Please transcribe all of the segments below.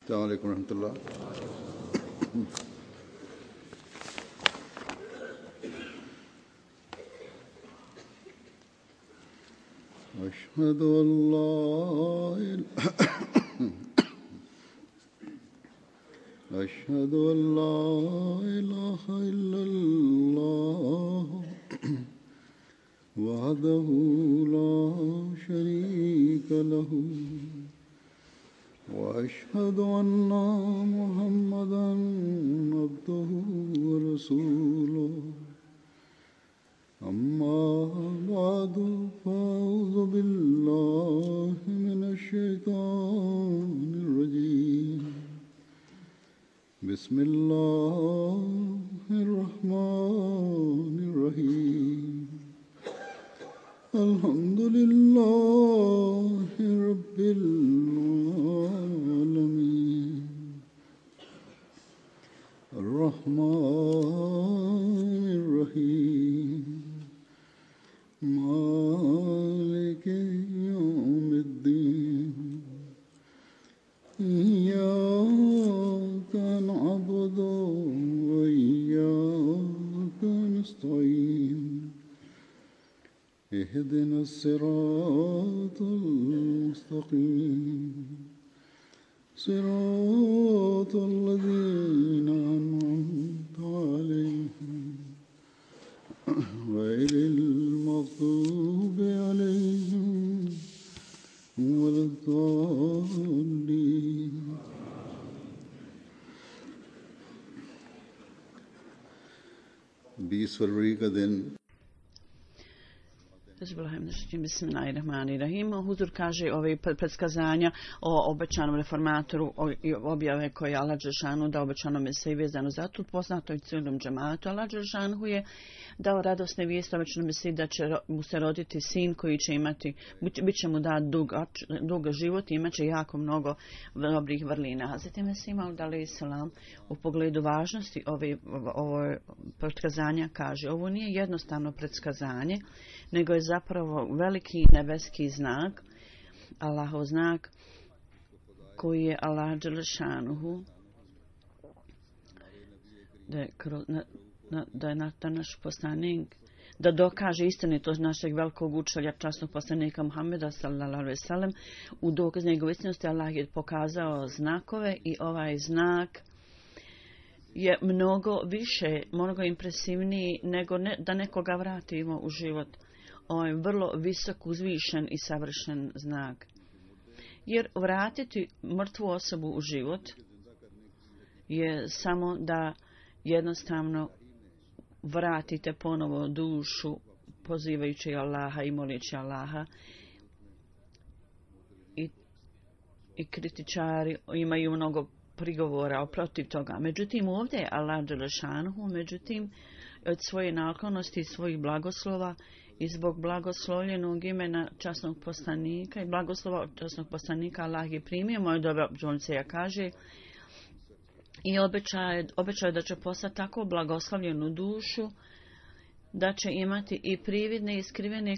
السلام عليكم ورحمة الله. أشهد أن لا إله إلا الله وحده لا شريك له وأشهد أن محمدا عبده ورسوله أما بعد فأعوذ بالله من الشيطان الرجيم بسم الله الرحمن الرحيم الحمد لله رب العالمين الرحمن الرحيم مالك يوم الدين إياك نعبد وإياك نستعين اهدنا الصراط المستقيم صراط الذين أنعمت عليهم غير المغضوب عليهم ولا الضالين. बीस फरवरी का दिन Bismillahirrahmanirrahim. Huzur kaže ove predskazanja o obećanom reformatoru i objave koje je Allah dželešanu dao obećanom Mesiji vezano za to poznato i cijelom džematu. Allah dželešanu je dao radosne vijesti obećanom Mesiji da će mu se roditi sin koji će imati, bit će mu dat dug život i imat će jako mnogo dobrih vrlina. Hazreti Mesih Maud alejhi selam u pogledu važnosti ovo predskazanja kaže ovo nije jednostavno predskazanje, nego je zapravo veliki nebeski znak, Allahov znak, koji je Allah dželešanuhu da je naš poslanik da dokaže istinitost našeg velikog učitelja, časnog poslanika Muhameda sallallahu alejhi ve sellem. U dokaz njegove istinosti Allah je pokazao znakove i ovaj znak je mnogo više, mnogo impresivniji nego da nekoga vratimo u život. On je vrlo visok, uzvišen i savršen znak. Jer vratiti mrtvu osobu u život je samo da jednostavno vratite ponovo dušu pozivajući Allaha i molići Allaha. I kritičari imaju mnogo prigovora protiv toga. Međutim, ovdje je Allah dželešanuhu, od svoje naklonosti i svojih blagoslova i zbog blagoslovljenog imena časnog poslanika i blagoslova časnog poslanika Allah je primio moje dobre žonce, kaže, i obećao da će postati tako blagoslovljenu dušu da će imati i prividne i skrivene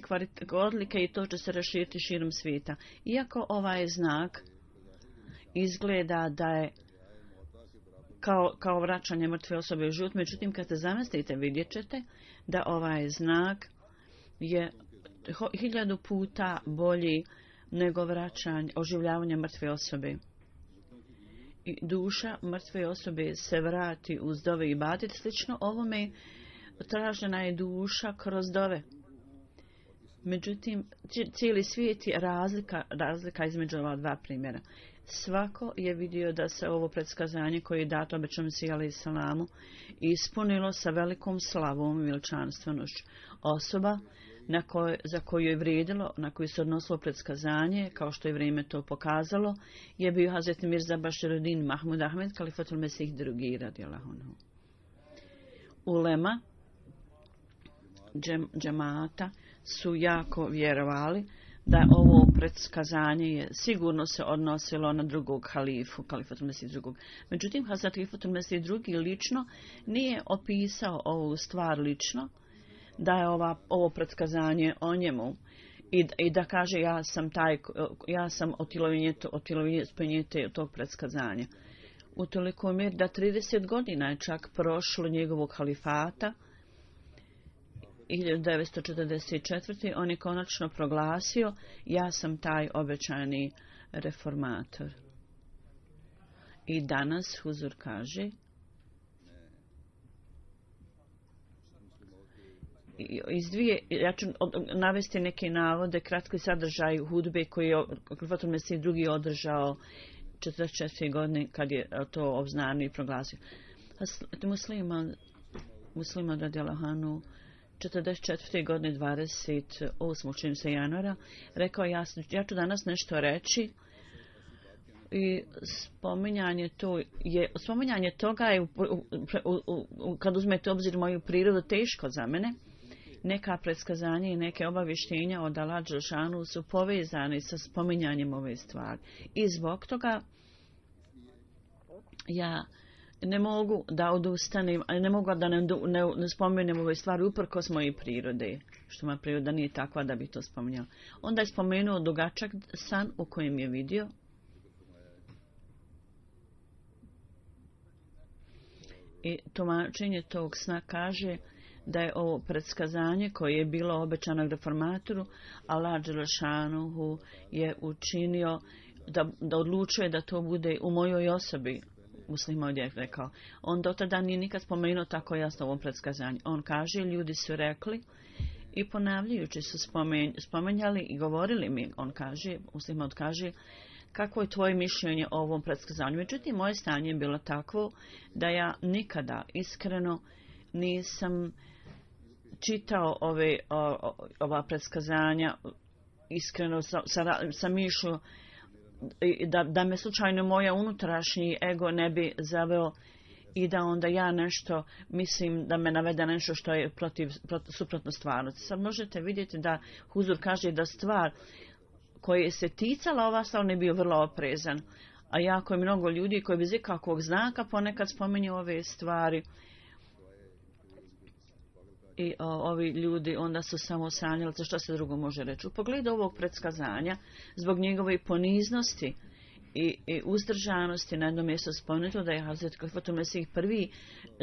odlike i to će se raširiti širom svijeta. Iako ovaj znak izgleda da je kao vraćanje mrtve osobe u život, međutim kad se zamislite vidjet ćete da ovaj znak je 1000 puta bolji nego oživljavanje mrtve osobe. I duša mrtve osobe se vrati uz dove i ibadet. Slično ovome tražena je duša kroz dove. Međutim, cijeli svijet je razlika između ova dva primjera. Svako je vidio da se ovo predskazanje koje je dato obećanom Mesiji alejhi selamu ispunilo sa velikom slavom i veličanstvenošću. Osoba za koju je vrijedilo, na koju se odnosilo predskazanje, kao što je vrijeme to pokazalo, je bio Hazreti Mirza Baširuddin Mahmud Ahmed, Kalifatul Mesih II. Radijallahu anhu. Ulema džemata su jako vjerovali da ovo predskazanje je sigurno se odnosilo na drugog halifu, Kalifatul Mesih II. Međutim, Hazrat Kalifatul Mesih II. Lično nije opisao ovu stvar lično, da je ovo predskazanje o njemu i da kaže ja sam otjelovinje tog predskazanja. U toliko mjeri da 30 godina je čak prošlo njegovog halifata. 1944. on je konačno proglasio ja sam taj obećani reformator. I danas Huzur kaže ja ću navesti neke navode, kratki sadržaj hudbe koji je Khalifatul Mesih II održao 44. godine kad je to obznanio i proglasio. Musliman radijallahu anhu 44. godine 28. čini se januara rekao ja ću danas nešto reći i spominjanje toga je kad uzmete obzir moju prirodu teško za mene. Neka predskazanja i neke obavještenja od Allah dželešanu su povezani sa spominjanjem ove stvari. I zbog toga ja ne mogu da odustanem, ne mogu da ne spomenem ove stvari uprkos moje prirode, što moja priroda nije takva da bi to spominjala. Onda je spomenuo dugačak san u kojem je vidio i tumačenje tog sna kaže da je ovo predskazanje koje je bilo obećano reformatoru, Allah dželešanu je učinio da odlučuje da to bude u mojoj osobi. Muslim je rekao. On do tada nije nikad spomenuo tako jasno ovom predskazanju. On kaže, ljudi su rekli i ponavljajući su spomenjali i govorili mi, on kaže, Muslim kaže, kako je tvoje mišljenje o ovom predskazanju. Međutim, moje stanje je bilo takvo da ja nikada iskreno nisam čitao ova predskazanja iskreno sam išao da me slučajno moja unutrašnji ego ne bi zaveo i da onda ja nešto mislim da me navede nešto što je suprotno stvarnosti. Sad možete vidjeti da Huzur kaže da stvar koja se ticala ova stvar ne bio vrlo oprezan, a jako je mnogo ljudi koji bez ikakvog znaka ponekad spominju ove stvari. I ovi ljudi onda su samo sanjali, što se drugo može reći. U pogledu ovog predskazanja, zbog njegove poniznosti i uzdržanosti, na jednom mjestu spomenuto da je Hazret Khalifatul Mesih prvi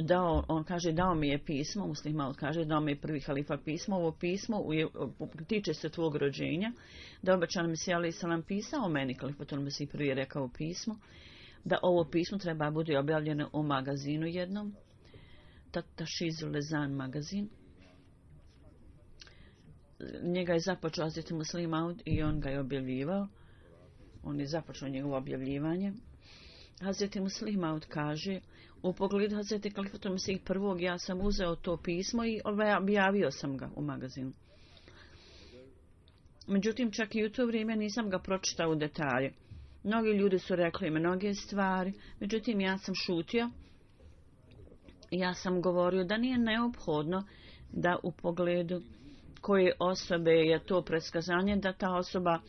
dao, on kaže dao mi je pismo, Muslim Maud kaže dao mi je prvi halifa pismo, ovo pismo tiče se tvog rođenja, da je obećan Mesih alejhi selam pisao meni, Khalifatul Mesih prvi je rekao pismo, da ovo pismo treba bude objavljeno u magazinu jednom, Tashizul Lezan magazin. Njega je započeo Hazreti Muslim Maud i on ga je objavljivao. On je započeo njegovo objavljivanje. Hazreti Muslim Maud kaže, u pogledu Hazreti Khalifatul Mesih prvog ja sam uzeo to pismo i objavio sam ga u magazinu. Međutim, čak i u to vrijeme nisam ga pročitao u detalje. Mnogi ljudi su rekli mnoge stvari, međutim ja sam šutio. Ja sam govorio da nije neophodno da u pogledu koje osobe je to predskazanje, da ta osoba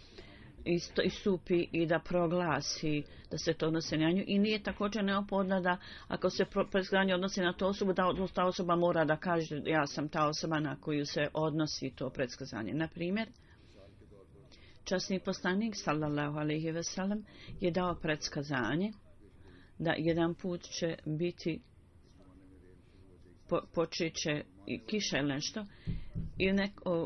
istupi i da proglasi da se to odnosi na nju. I nije također neophodno da ako se predskazanje odnosi na tu osobu, da ta osoba mora da kaže ja sam ta osoba na koju se odnosi to predskazanje. Na primjer, časni poslanik sallallahu alejhi ve sellem je dao predskazanje da jedan put će biti počet će i kiša ili nešto i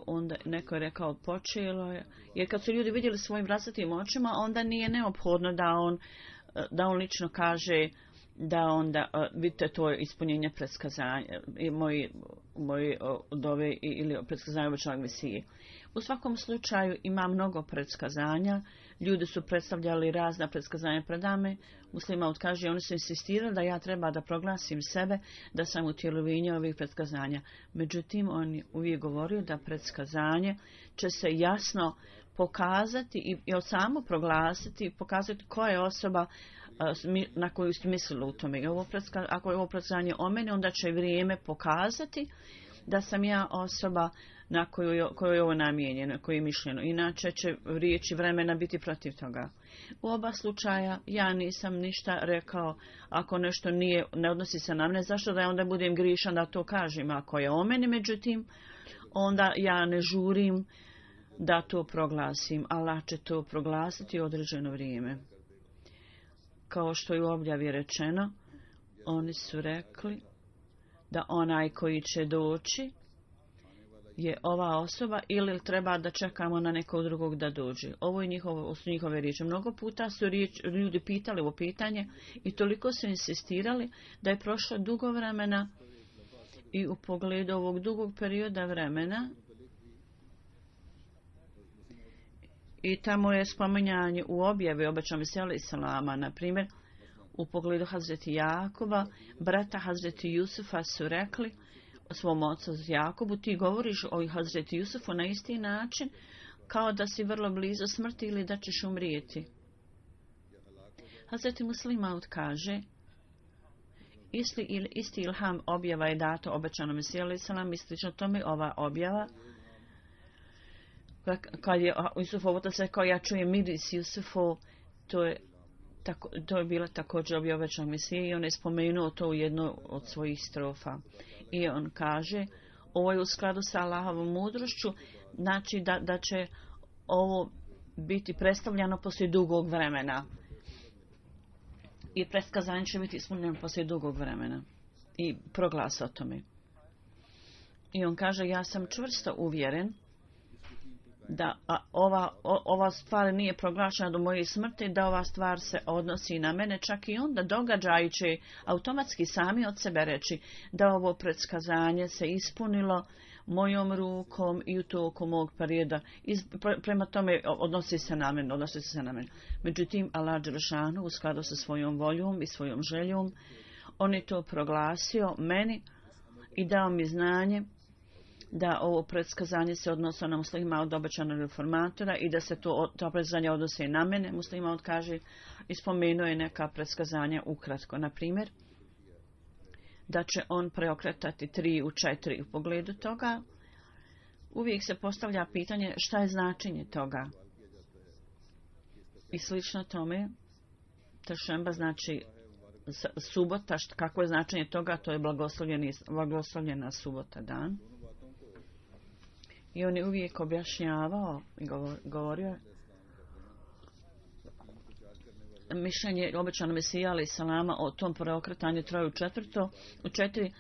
onda neko je rekao počelo je, jer kad su ljudi vidjeli svojim vlastitim očima onda nije neophodno da on lično kaže da onda vidite to ispunjenje predskazanja moji dove ili predskazanja obećanog Mesije. U svakom slučaju ima mnogo predskazanja, ljudi su predstavljali razna predskazanja pred nama. Muslim Maud kaže, oni su insistirali da ja treba da proglasim sebe da sam utjelovljenje ovih predskazanja. Međutim, on je uvijek govorio da predskazanje će se jasno pokazati i samo proglasiti, pokazati koja je osoba na koju ste mislili u tome. Ako je ovo predskazanje o mene, onda će vrijeme pokazati da sam ja osoba na koju je ovo namijenjeno, koju je mišljeno. Inače će riječi vremena biti protiv toga. U oba slučaja ja nisam ništa rekao ako nešto ne odnosi se na mene. Zašto da ja onda budem grišan da to kažem? Ako je o meni, međutim, onda ja ne žurim da to proglasim. Allah će to proglasiti u određeno vrijeme. Kao što je u objavi rečeno, oni su rekli da onaj koji će doći je ova osoba ili treba da čekamo na nekog drugog da dođe. Ovo je su njihove riječi. Mnogo puta su ljudi pitali ovo pitanje i toliko su insistirali da je prošlo dugo vremena i u pogledu ovog dugog perioda vremena i tamo je spominjanje u objavi obećanog Mesija Islama, na primjer u pogledu Hazreti Jakuba, brata Hazreti Jusufa su rekli svom ocu Jakubu, ti govoriš o Hazreti Jusufu na isti način kao da si vrlo blizu smrti ili da ćeš umrijeti. Hazreti Muslim Maud kaže, isti ilham objava je dato obećanom Mesiju alejhi selam i slično tome ova objava kad je Jusufov otac rekao ja čujem miris Jusufov, to je bila također objava obećanog Mesije i on je spomenuo to u jednoj od svojih strofa. I on kaže, ovo je u skladu sa Allahovom mudrošću, znači da će ovo biti predstavljeno poslije dugog vremena. I predskazanje će biti ispunjeno poslije dugog vremena. I proglas o tome. I on kaže, ja sam čvrsto uvjeren da ova stvar nije proglašena do moje smrti, da ova stvar se odnosi na mene, čak i onda događaji će automatski sami od sebe reći da ovo predskazanje se ispunilo mojom rukom i u toku mog perioda. Prema tome odnosi se na mene. Međutim, Allah dželešanu u skladu sa svojom voljom i svojom željom, on je to proglasio meni i dao mi znanje da ovo predskazanje se odnosilo na muslima od obećanog reformatora i da se to predskazanje odnose na mene. Muslima kaže i spomenuo je neka predskazanja ukratko. Na primjer, da će on preokretati 3 u 4 u pogledu toga. Uvijek se postavlja pitanje šta je značenje toga. I slično tome, tešemba znači subota, kako je značenje toga, to je blagoslovljena subota dan. I on je uvijek objašnjavao i govorio mišljenje obećanog Mesija alejhi selama o tom preokretanju 3 u 4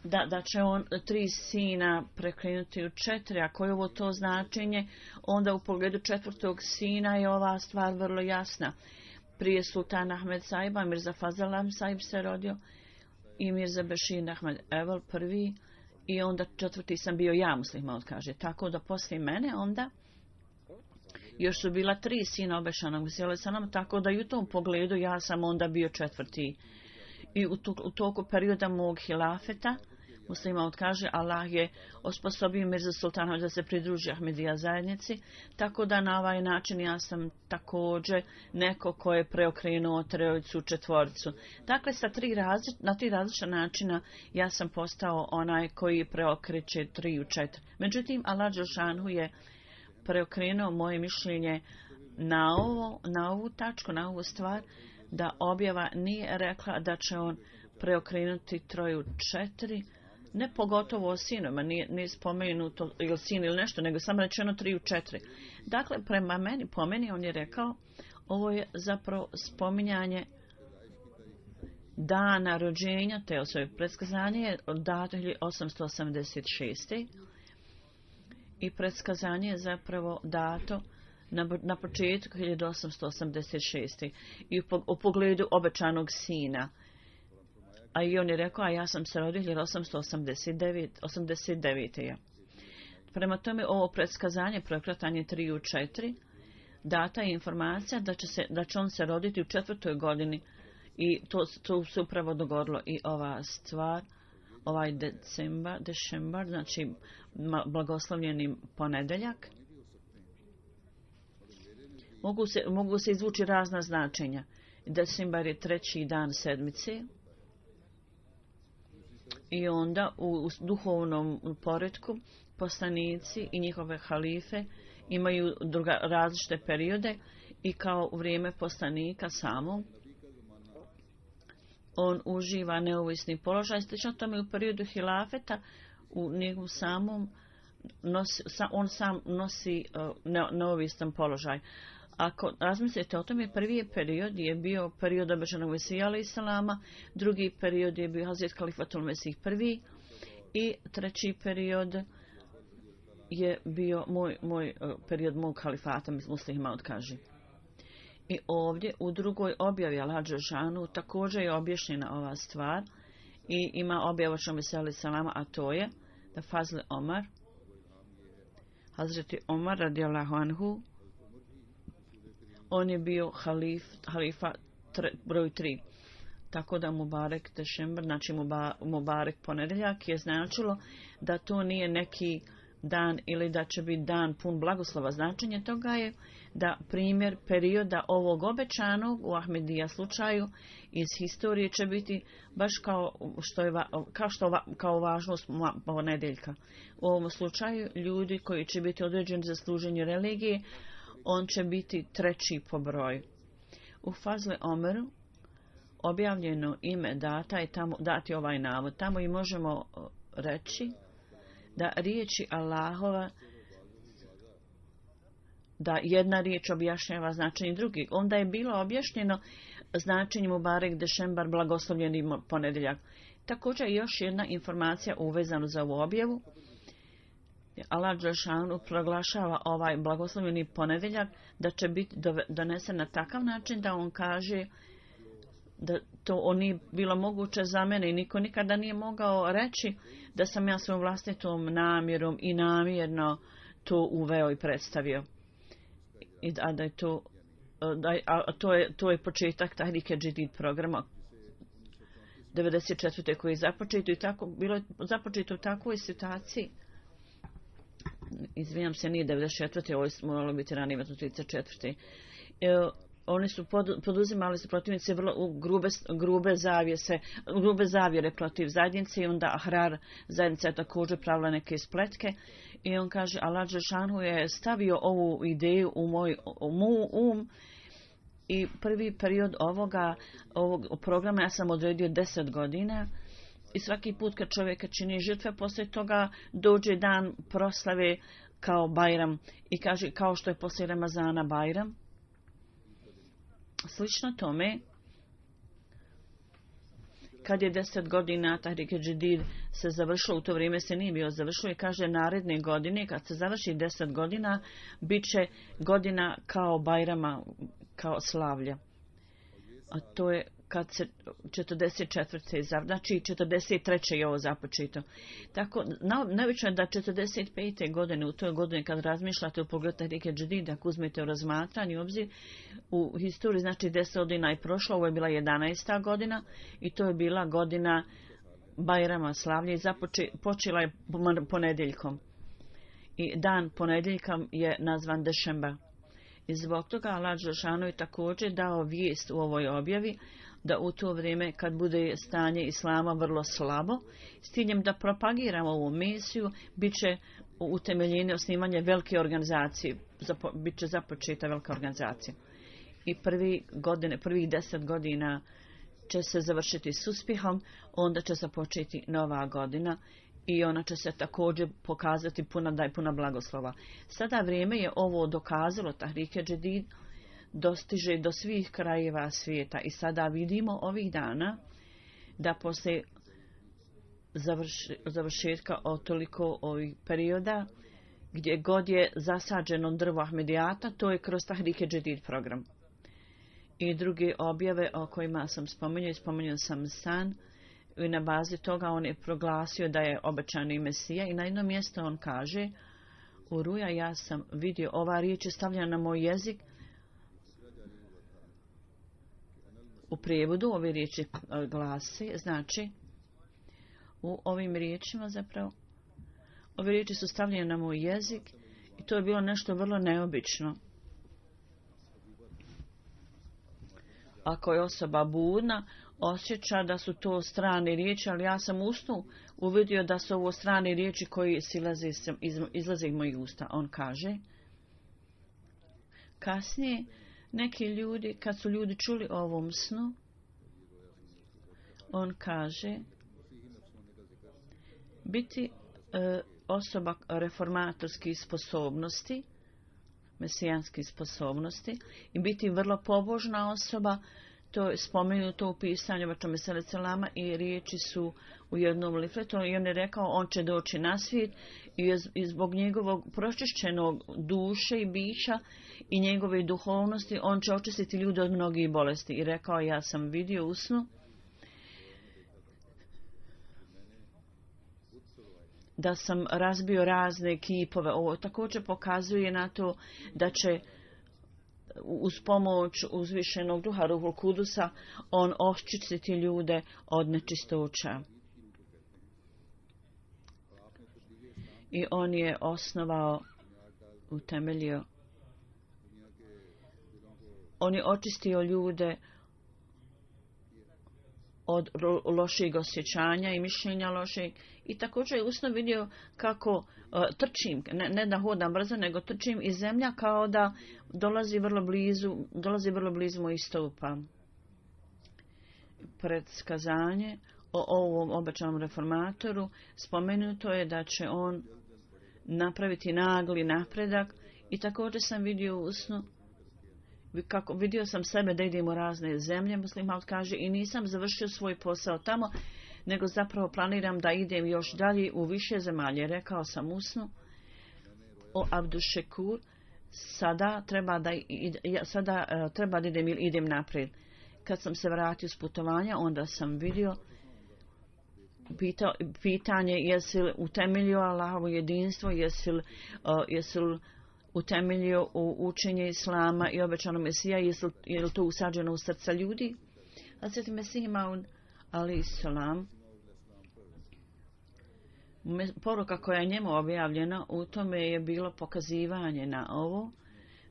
da će on 3 sina prekrenuti u 4, a koje je ovo to značenje, onda u pogledu 4. sina je ova stvar vrlo jasna. Prije sultan Ahmed Saiba, Mirza Fazal Ahmed Saib se rodio i Mirza Bešir Ahmed Evel prvi i onda 4. sam bio ja, muslima kaže. Tako da poslije mene onda još su bila 3 sina obećanog Mesija alejhi selam, tako da i u tom pogledu ja sam onda bio 4. I u toku perioda mog hilafeta, muslima kaže, Allah je osposobio Mirza Sultana da se pridruži Ahmedija zajednici, tako da na ovaj način ja sam također neko ko je preokrenuo 3 u 4. Dakle, na 3 različita načina ja sam postao onaj koji preokreće 3 u 4. Međutim, Allah dželešanu je preokrenuo moje mišljenje na ovu tačku, na ovu stvar, da objava nije rekla da će on preokrenuti 3 u 4, ne pogotovo o sinovima, nije spomenuto ili sin ili nešto, nego samo rečeno 3 u 4. Dakle, po meni on je rekao, ovo je zapravo spominjanje dana rođenja te osobe. Predskazanje je dato 1886. I predskazanje je zapravo dato na početku 1886. I u pogledu obećanog sina. A i on je rekao, a ja sam se rodio 1889. Prema tome, ovo predskazanje, preokretanje 3 u 4, data je informacija da će on se roditi u 4. godini. I to se upravo dogodilo i ova stvar, ovaj decembar, znači blagoslovljeni ponedeljak. Mogu se izvući razna značenja. Decembar je 3. dan sedmice. I onda u duhovnom poretku poslanici i njihove halife imaju različite periode i kao u vrijeme poslanika samog on uživa neovisni položaj. Slično tome u periodu hilafeta u njegovom samom on sam nosi neovisan položaj. Ako razmislite o tome, prvi period je bio period obećanog Mesija alejhi selama, drugi period je bio Hazret Kalifatul Mesih prvi i treći period je bio moj period mog kalifata, muslima odkaži. I ovdje u drugoj objavi Al-Hadž Žanu također je objašnjena ova stvar i ima objavu obećanog Mesija alejhi selama, a to je da Fazl Omar, Hazreti Omar radijallahu anhu, on je bio halifa broj 3. Tako da Mubarek Dešembar, znači Mubarek ponedjeljak, je značilo da to nije neki dan ili da će biti dan pun blagoslova. Značenje toga je da primjer perioda ovog obećanog u Ahmedija slučaju iz historije će biti baš kao važnost ponedjeljka. U ovom slučaju ljudi koji će biti određeni za služenje religije, on će biti treći po broju. U Fazle Omeru objavljeno ime data i tamo dati ovaj navod. Tamo i možemo reći da riječi Allahova, da jedna riječ objašnjava značenje drugih. Onda je bilo objašnjeno značenje Mubarek Dešembar, blagoslovljeni ponedjeljak. Također još jedna informacija uvezana za ovu objavu. Allah dželešanu proglašava ovaj blagoslovljeni ponedjeljak da će biti donesen na takav način da on kaže da to nije bilo moguće za mene i niko nikada nije mogao reći da sam ja svojom vlastitom namjerom i namjerno to uveo i predstavio. Da je to je početak Tahrike Džedid programa 94. koji je započeto i tako bilo je započeto u takvoj situaciji. Izvinjam se, nije 94. Ovo je moralo biti ranije 34. Oni su poduzimali su protivnici vrlo grube zavjere protiv zajednice i onda Ahrar zajednica je također pravila neke spletke i on kaže Allah dželešanu je stavio ovu ideju u moj i prvi period ovog programa ja sam odredio 10 godina i svaki put kad čovjeka čini žrtve poslije toga dođe dan proslave kao Bajram i kaže kao što je poslije Ramazana Bajram. Slično tome, kad je 10 godina Tahrike Džedid se završilo, u to vrijeme se nije bio završilo i kaže naredne godine, kad se završi 10 godina, bit će godina kao Bajrama, kao slavlja. A to je kad se 44. znači 43. je ovo započeto. Tako, neobično je da 45. godine, u toj godini kad razmišljate u pogledu Tahrike Džedid, ako uzmete u razmatranje obzir, u historiji znači 10 godina je prošlo, ovo je bila 11. godina i to je bila godina Bajrama slavlje i počela je ponedjeljkom. I dan ponedjeljka je nazvan Dešembar. I zbog toga Allah dželešanu je također dao vijest u ovoj objavi da u to vrijeme kad bude stanje islama vrlo slabo, s ciljem da propagiramo ovu misiju, bit će utemeljene osnivanje velike organizacije, bit će započeta velika organizacija. I prvih 10 godina će se završiti s uspjehom, onda će započeti nova godina i ona će se također pokazati puna blagoslova. Sada vrijeme je ovo dokazalo, Tahrike Džedid dostiže do svih krajeva svijeta i sada vidimo ovih dana da poslije završetka toliko ovih perioda gdje god je zasađeno drvo Ahmedijata, to je kroz Tahrike Džedid program. I druge objave o kojima sam spomenuo sam san i na bazi toga on je proglasio da je obećani Mesija i na jedno mjesto on kaže u ruja ja sam vidio ova riječ je stavljena na moj jezik. U prijevodu ove riječi glasi, znači u ovim riječima zapravo ove riječi su stavljene na moj jezik i to je bilo nešto vrlo neobično. Ako je osoba budna, osjeća da su to strane riječi, ali ja sam u snu uvidio da su ovo strane riječi koji izlaze iz mojih usta. On kaže, kasnije neki ljudi, kad su ljudi čuli o ovom snu, on kaže, biti osoba reformatorskih sposobnosti, mesijanskih sposobnosti i biti vrlo pobožna osoba. To je spomenuto u pisanju Vačome Selama i riječi su u jednom lifletu i on je rekao on će doći na svijet i zbog njegovog pročišćenog duše i bića i njegove duhovnosti on će očistiti ljude od mnogih bolesti. I rekao ja sam vidio u snu da sam razbio razne kipove. Ovo također pokazuje na to da će uz pomoć uzvišenog duha Ruhul Kudusa on očistiti ljude od nečistoća. I on je osnovao, utemeljio, on je očistio ljude od loših osjećanja i mišljenja loših. I također je usno vidio kako trčim, ne da hodam brzo, nego trčim i zemlja kao da dolazi vrlo blizu mojih stopa. Predskazanje o ovom obećanom reformatoru spomenuto je da će on napraviti nagli napredak i također sam vidio u snu kako vidio sam sebe da idem u razne zemlje, Muslim Maud kaže, i nisam završio svoj posao tamo, nego zapravo planiram da idem još dalje u više zemalje. Rekao sam u snu o Abdušekur, sada treba da idem ili idem naprijed. Kad sam se vratio s putovanja, onda sam vidio pitanje jesi li utemeljio Allahovo jedinstvo, jesi li utemeljio u učenje Islama i obećanog Mesija, je li to usađeno u srca ljudi? Hazreti Mesih Maud alejhi selam, poruka koja je njemu objavljena, u tome je bilo pokazivanje na ovo,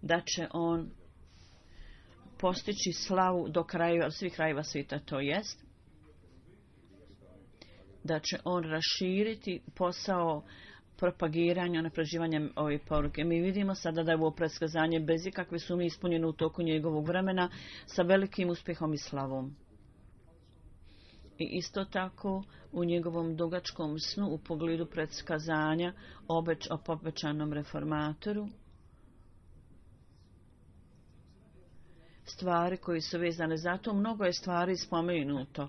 da će on postići slavu do krajeva, svih krajeva svijeta, to jest da će on raširiti posao propagiranja, napređivanja ove poruke. Mi vidimo sada da je ovo predskazanje bez ikakve sumnje ispunjeno u toku njegovog vremena sa velikim uspjehom i slavom. I isto tako u njegovom dugačkom snu u pogledu predskazanja o obećanom reformatoru, stvari koji su vezane za to, mnogo je stvari spomenuto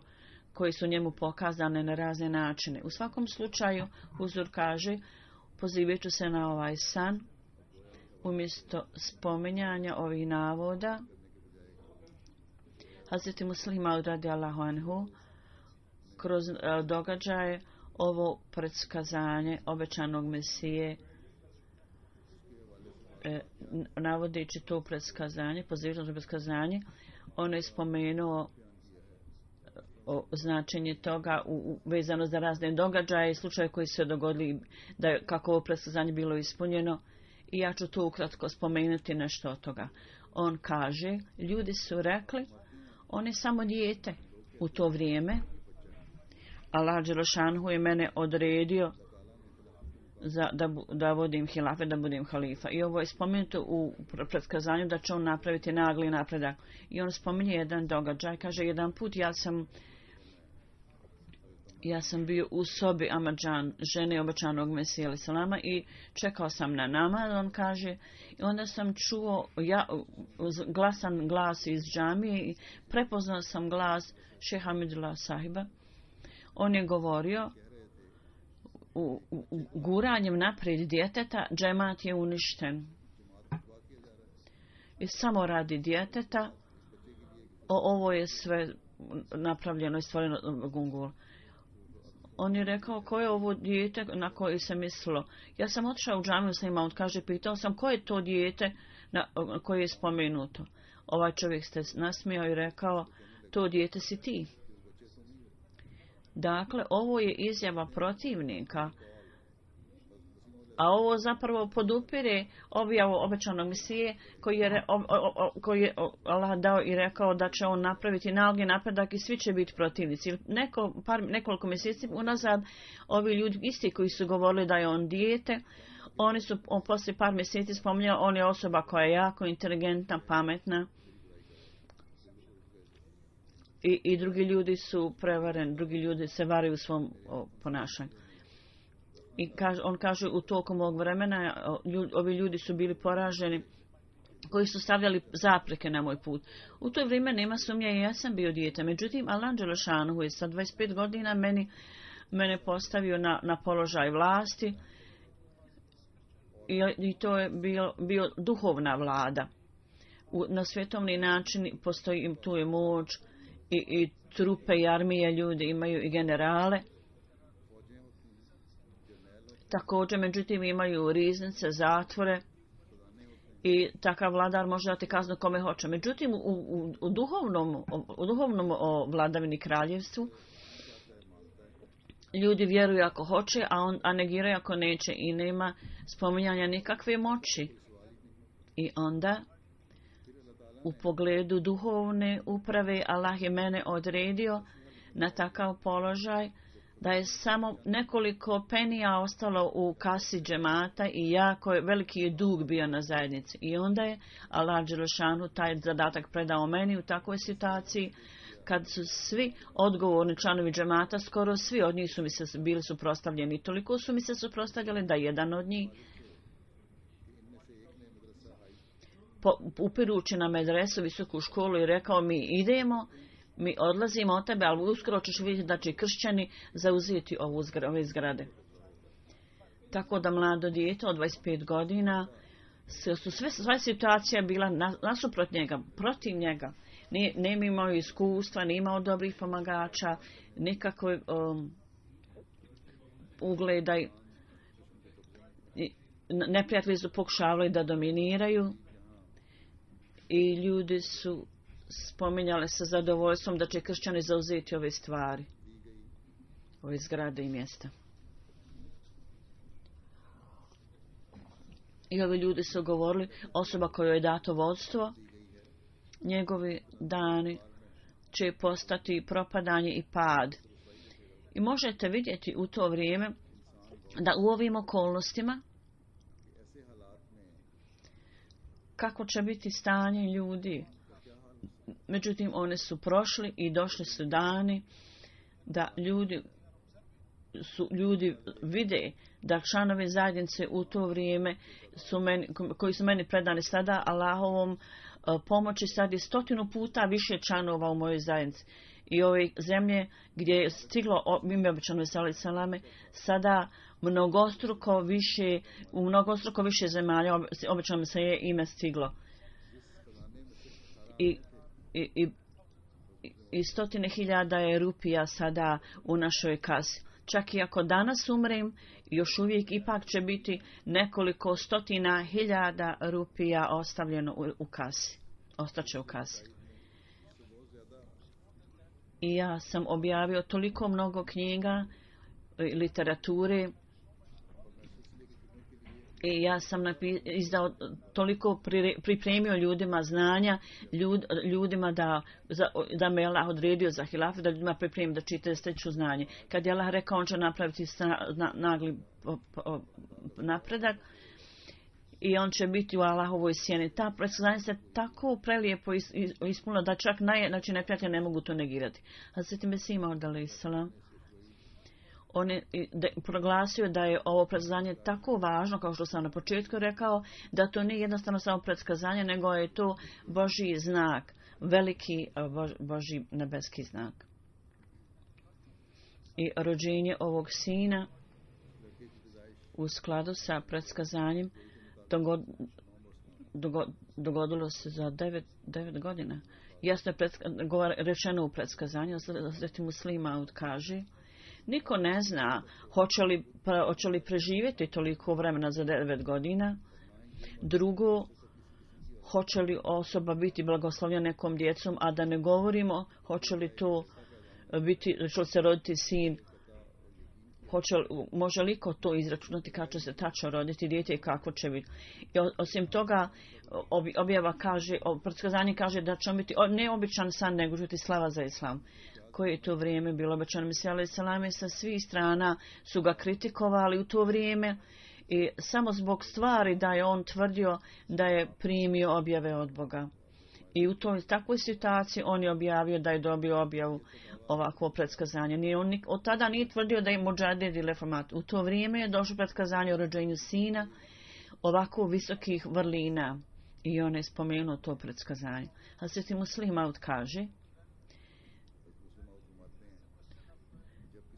koji su njemu pokazane na razne načine. U svakom slučaju, Huzur kaže, pozivajući se na ovaj san, umjesto spominjanja ovih navoda, Hazreti Muslim Maud radijallahu anhu, kroz događaje ovo predskazanje obećanog Mesije, navodeći to predskazanje, pozivajući to predskazanje, on je spomenuo o značenje toga vezano za razne događaje i slučaje koji se dogodili, da je, kako ovo predskazanje bilo ispunjeno, i ja ću tu ukratko spomenuti nešto od toga. On kaže, ljudi su rekli, on je samo dijete u to vrijeme. Allah Đelešanhu je mene odredio da vodim hilafe, da budem halifa. I ovo je spomenuto u predskazanju da će on napraviti nagli napredak. I on spominje jedan događaj. Kaže, jedan put ja sam bio u sobi Amadžan, žene obećanog Mesija alejhi selama, i čekao sam na namaz, on kaže, i onda sam čuo glasan glas iz džamije i prepoznao sam glas šeha Hamidullah sahiba. On je govorio, guranjem naprijed djeteta džemat je uništen. I samo radi djeteta, ovo je sve napravljeno i stvoreno gungul. On je rekao, ko je ovo dijete na koje se mislilo? Ja sam otišao u džamiju s njima, on kaže, pitao sam, ko je to dijete koje je spomenuto? Ovaj čovjek se nasmijao i rekao, to dijete si ti. Dakle, ovo je izjava protivnika, a ovo zapravo podupire objavu obećanog Mesije koji je Allah dao i rekao da će on napraviti nagli napredak i svi će biti protivnici. Nekoliko mjeseci unazad ovi ljudi isti koji su govorili da je on dijete, oni su poslije par mjeseci spominjali, on je osoba koja je jako inteligentna, pametna. I drugi ljudi su prevareni, drugi ljudi se varaju u svom ponašanju. I on kaže u tokom ovog vremena ovi ljudi su bili poraženi koji su stavljali zapreke na moj put. U to vrijeme nema sumnje i ja sam bio dijete. Međutim, Allah dželešanu je sa 25 godina mene postavio na položaj vlasti i to je bio duhovna vlada. Na svjetovni način postoji tu je moć i trupe i armije, ljudi imaju i generale. Također, međutim, imaju riznice, zatvore i takav vladar može dati kaznu kome hoće. Međutim, u duhovnom vladavini kraljevstvu ljudi vjeruju ako hoće, a negiraju ako neće i nema spominjanja nikakve moći. I onda u pogledu duhovne uprave Allah je mene odredio na takav položaj da je samo nekoliko penija ostalo u kasi džemata i jako veliki je dug bio na zajednici. I onda je Allah dželešanu taj zadatak predao meni u takvoj situaciji kad su svi odgovorni članovi džemata, skoro svi od njih su mi se bili suprotstavljeni. Toliko su mi se suprotstavljali da jedan od njih upirući na medresu, visoku školu i rekao mi odlazimo od tebe, ali uskoro ćeš vidjeti da će kršćani zauzeti ove zgrade. Tako da mlado dijete od 25 godina su sva situacija bila nasuprot njega, protiv njega. Nije imao iskustva, nije imao dobrih pomagača, nikakve ugleda. Neprijatelji su pokušavali da dominiraju i ljudi su spominjali sa zadovoljstvom da će kršćani zauzeti ove stvari, ove zgrade i mjesta. I ovi ljudi su govorili, osoba kojoj je dato vodstvo, njegovi dani će postati propadanje i pad. I možete vidjeti u to vrijeme da u ovim okolnostima kako će biti stanje ljudi. Međutim, one su prošli i došli su dani da ljudi vide da članovi zajednice u to vrijeme koji su meni predani sada Allahovom pomoći, sad je 100 puta više članova u mojoj zajednici. I ove zemlje gdje je stiglo ime obećano salame, sada mnogostruko više zemalja obećano se je ime stiglo. I 100.000 je rupija sada u našoj kasi. Čak i ako danas umrem, još uvijek ipak će biti nekoliko 100.000 rupija ostavljeno u kasi. Ostaće u kasi. I ja sam objavio toliko mnogo knjiga, literature, i ja sam izdao toliko, pripremio ljudima znanja, ljudima da me Allah odredio za hilaf, da ljudima pripremim da čitaju steču znanje. Kad je Allah rekao, on će napraviti nagli napredak i on će biti u Allahovoj sjeni. Ta predskazanja se tako prelijepo ispunila da čak neprijatelji ne mogu to negirati. Hazreti Mesih Maud alejhi selam, on je proglasio da je ovo predskazanje tako važno, kao što sam na početku rekao, da to nije jednostavno samo predskazanje, nego je to Božji znak, veliki Božji nebeski znak. I rođenje ovog sina u skladu sa predskazanjem dogodilo se za 9 godina. Jasno je rečeno u predskazanju, Hazreti Muslima kaže, niko ne zna hoće li preživjeti toliko vremena za 9 godina. Drugo, hoće li osoba biti blagoslovljena nekom djecom, a da ne govorimo hoće li to biti, hoće li se roditi sin, može li ko to izračunati kako će se tačno roditi dijete i kako će biti. I osim toga, objava kaže, predskazanje kaže da će biti ne običan san, nego žuti slava za islam. Koje je to vrijeme bilo obećano Mesija alejhi selam, sa svih strana su ga kritikovali u to vrijeme i samo zbog stvari da je on tvrdio da je primio objave od Boga. I u toj takvoj situaciji on je objavio da je dobio objavu ovakvo predskazanje. Nije on od tada nije tvrdio da je Mudžadid ili reformat. U to vrijeme je došlo predskazanje o rođenju sina ovako visokih vrlina. I on je spomenuo to predskazanje. Hazret Muslim Maud kaže,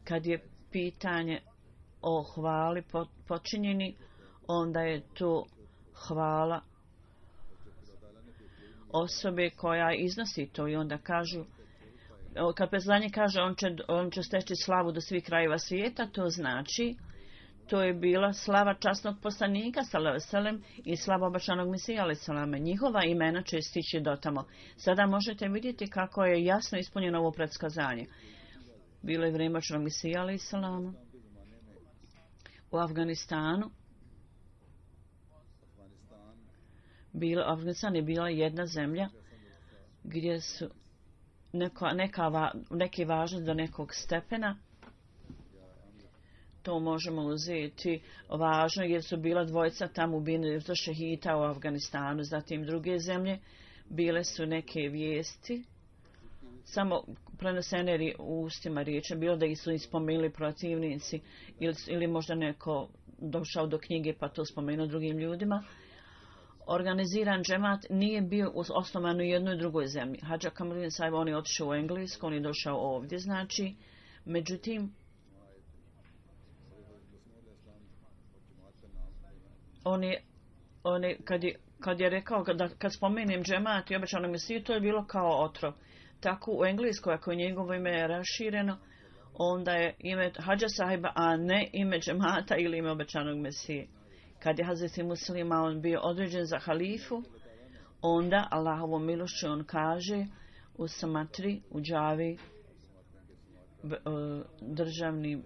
kad je pitanje o hvali počinjeni, onda je to hvala osobe koja iznosi to i onda kažu, kad predskazanje kaže on će steći slavu do svih krajeva svijeta, to znači to je bila slava časnog poslanika sallallahu i slava obećanog Mesija alejhi. Njihova imena će stići do tamo. Sada možete vidjeti kako je jasno ispunjeno ovo predskazanje. Bilo je vrijeme obećanog Mesija alejhi u Afganistanu. Afganistan je bila jedna zemlja gdje su neke važnosti do nekog stepena. To možemo uzeti važno jer su bila dvojica tamo ubijeni za šehita u Afganistanu. Zatim druge zemlje bile su neke vijesti samo prenesene u ustima riječi. Bilo da ih su ispomenuli protivnici ili možda neko došao do knjige pa to spomenuo drugim ljudima. Organiziran džemat nije bio osnovan u jednoj i drugoj zemlji. Hadža Kamaludin Sahib, on je otišao u Englesku, on je došao ovdje, znači, međutim, kad je rekao, kad spomenem džemat i obećanog Mesiju, to je bilo kao otrov. Tako u Engleskoj, ako je njegovo ime rašireno, onda je ime Hadža Sahiba, a ne ime džemata ili ime obećanog Mesije. Kad je Hazreti Muslima on bio određen za halifu, onda Allahovom milošću on kaže u Samatri, u Džavi, državnim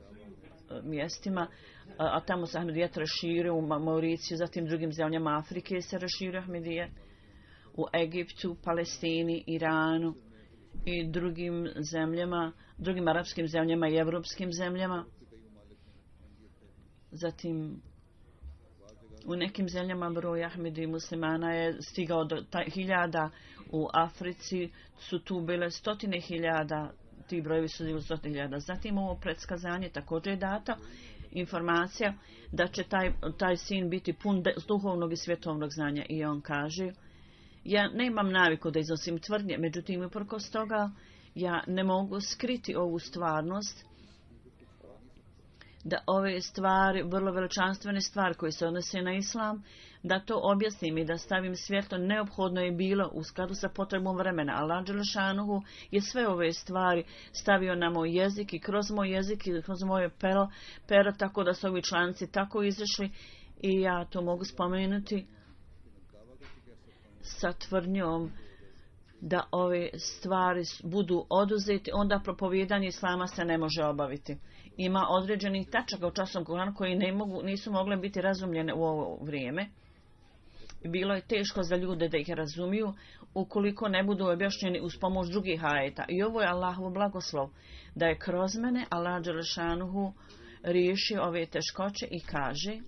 mjestima, a tamo se Ahmedijet raširio u Mauriciju, zatim drugim zemljama Afrike se raširio Ahmedijet, u Egiptu, Palestini, Iranu i drugim zemljama, drugim arapskim zemljama i evropskim zemljama. Zatim u nekim zemljama broj Ahmedi muslimana je stigao do 1000, u Africi su tu bile 100.000, ti brojevi su bili 100.000. Zatim ovo predskazanje također je data informacija da će taj sin biti pun duhovnog i svjetovnog znanja i on kaže, ja nemam naviku da iznosim tvrdnje, međutim uprkos toga ja ne mogu skriti ovu stvarnost da ove stvari, vrlo veličanstvene stvari koje se odnose na islam, da to objasnim i da stavim svjetlo, neophodno je bilo u skladu sa potrebom vremena. Allah dželešanuhu je sve ove stvari stavio na moj jezik i kroz moj jezik i kroz moje pero, tako da su ovi članci tako izašli i ja to mogu spomenuti sa tvrdnjom da ove stvari budu oduzeti, onda propovijedanje islama se ne može obaviti. Ima određenih tačaka u časnom Kuranu koji nisu mogle biti razumljene u ovo vrijeme. Bilo je teško za ljude da ih razumiju ukoliko ne budu objašnjeni uz pomoć drugih ajeta. I ovo je Allahov blagoslov da je kroz mene Allah dželešanuhu riješio ove teškoće i kaže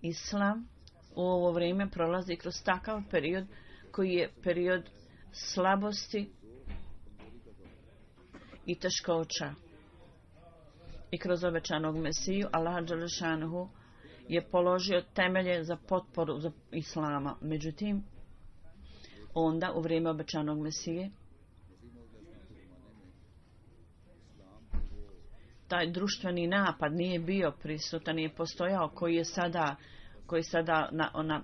islam u ovo vrijeme prolazi kroz takav period koji je period slabosti i teškoća. I kroz obećanog Mesiju Allah dželešanuhu je položio temelje za potporu za islama. Međutim, onda u vrijeme obećanog Mesije taj društveni napad nije bio prisutan, nije postojao koji sada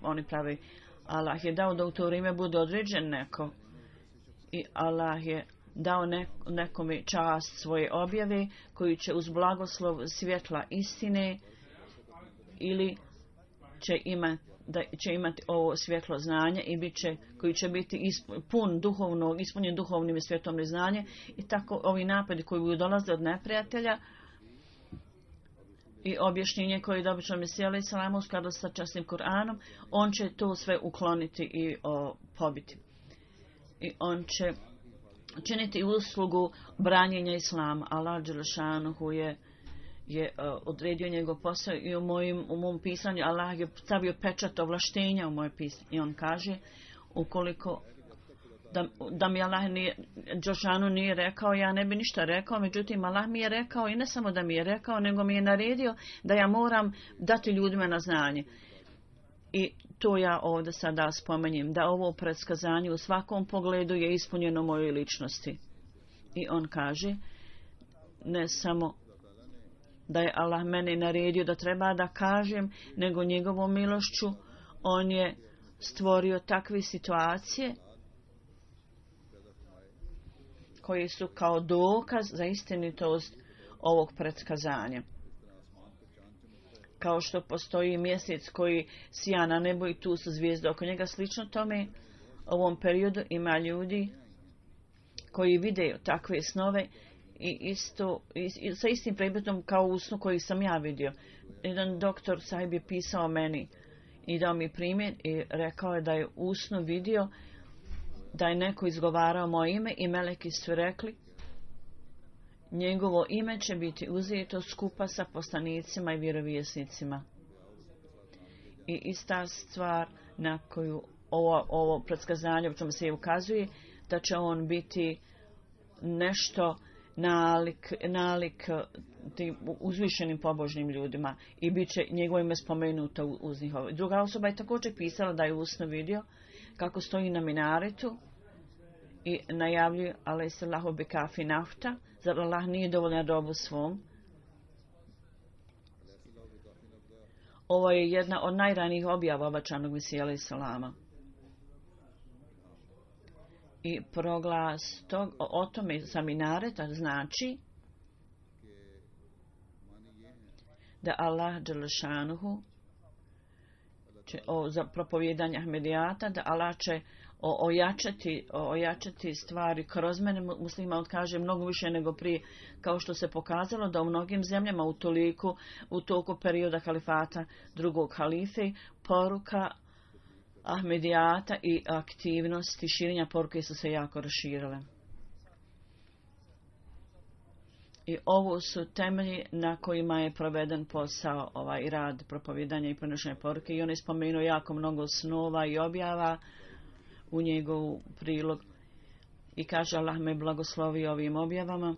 oni pravi. Allah je dao da u to vrijeme bude određen neko i Allah je dao nekome čast svoje objave koji će uz blagoslov svjetla istine ili će imati ovo svjetlo znanje i koji će biti ispunjen duhovnim i svjetovnim znanje i tako ovi napadi koji budu dolaze od neprijatelja i objašnjenje koje je dobično Mesija alejhi selam u skladu sa časnim Kur'anom, on će to sve ukloniti i pobiti. I on će činiti uslugu branjenja islama. Allah dželešanuhu je odredio njegov posao i u mom pisanju Allah je stavio pečat ovlaštenja u moje pisanje. I on kaže, ukoliko da mi Allah nije, Đelešanu nije rekao, ja ne bi ništa rekao, međutim Allah mi je rekao i ne samo da mi je rekao, nego mi je naredio da ja moram dati ljudima na znanje. I to ja ovdje sada spomenjem, da ovo predskazanje u svakom pogledu je ispunjeno mojoj ličnosti. I on kaže, ne samo da je Allah meni naredio da treba da kažem, nego njegovom milošću on je stvorio takve situacije koji su kao dokaz za istinitost ovog predskazanja. Kao što postoji mjesec koji sija na nebu i tu su zvijezde oko njega, slično tome u ovom periodu ima ljudi koji vide takve snove i sa istim predmetom kao u snu koji sam ja vidio. Jedan doktor sahib je pisao meni i dao mi primjer i rekao je da je u snu vidio da je neko izgovarao moje ime i meleki su rekli njegovo ime će biti uzeto skupa sa poslanicima i vjerovjesnicima. I ista stvar na koju ovo predskazanje, o čemu se ukazuje, da će on biti nešto nalik tim uzvišenim pobožnim ljudima i bit će njegovo ime spomenuto uz njihovo. Druga osoba je također pisala da je usno vidio kako stoji na minaretu i najavljuje alejsellahu bi kafi nafta, zar Allah nije dovoljan robu svom. Ovo je jedna od najranijih objava obećanog Mesija alejselama. I proglas o tome sa minareta znači da Allah dželešanuhu će za propovijedanje Ahmedijata, da Allah će ojačati stvari kroz mene. Muslima kaže mnogo više nego prije, kao što se pokazalo da u mnogim zemljama u toku perioda halifata drugog halife poruka Ahmedijata i aktivnosti širenja poruke su se jako raširile. I ovo su temelji na kojima je proveden posao ovaj rad propovijedanja i prenošenja poruke i on je spomenuo jako mnogo snova i objava u njegov prilog i kaže Allah me blagoslovi ovim objavama.